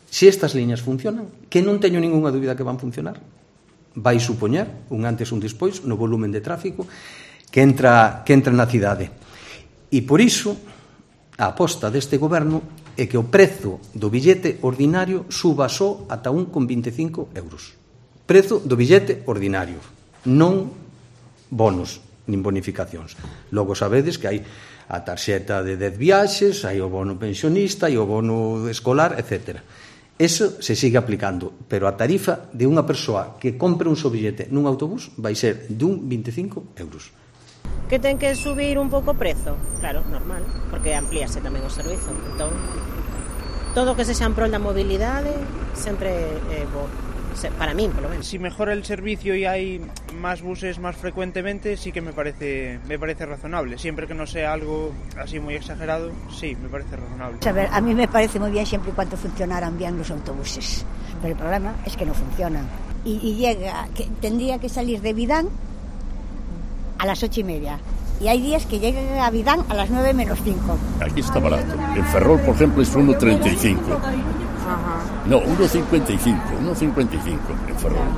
Se estas liñas funcionan, que non teño ninguna dúbida que van funcionar, vai supoñer un antes e un despois no volumen de tráfico que entra na cidade. E por iso, a aposta deste goberno é que o prezo do billete ordinario suba só ata 1,25 euros. Prezo do billete ordinario, non bonos nin bonificacións. Logo sabedes que hai a tarxeta de 10 viaxes, hai o bono pensionista, hai o bono escolar, etc. Eso se sigue aplicando, pero a tarifa de unha persoa que compre un só billete nun autobús vai ser de 1,25 euros. Que ten que subir un pouco o prezo? Claro, normal, porque amplíase tamén o servizo. Entón, todo o que sexa en prol da mobilidade sempre é bo. Para mí, por lo menos. Si mejora el servicio y hay más buses más frecuentemente, sí que me parece razonable. Siempre que no sea algo así muy exagerado, sí, me parece razonable. A ver, a mí me parece muy bien siempre y cuando funcionaran bien los autobuses. Pero el problema es que no funcionan. Y tendría que salir de Vidán a las 8:30. Y hay días que llegan a Vidán a las 9 menos 5. Aquí está barato. En Ferrol, por ejemplo, es 1,35. No, 1,55 en Ferrol.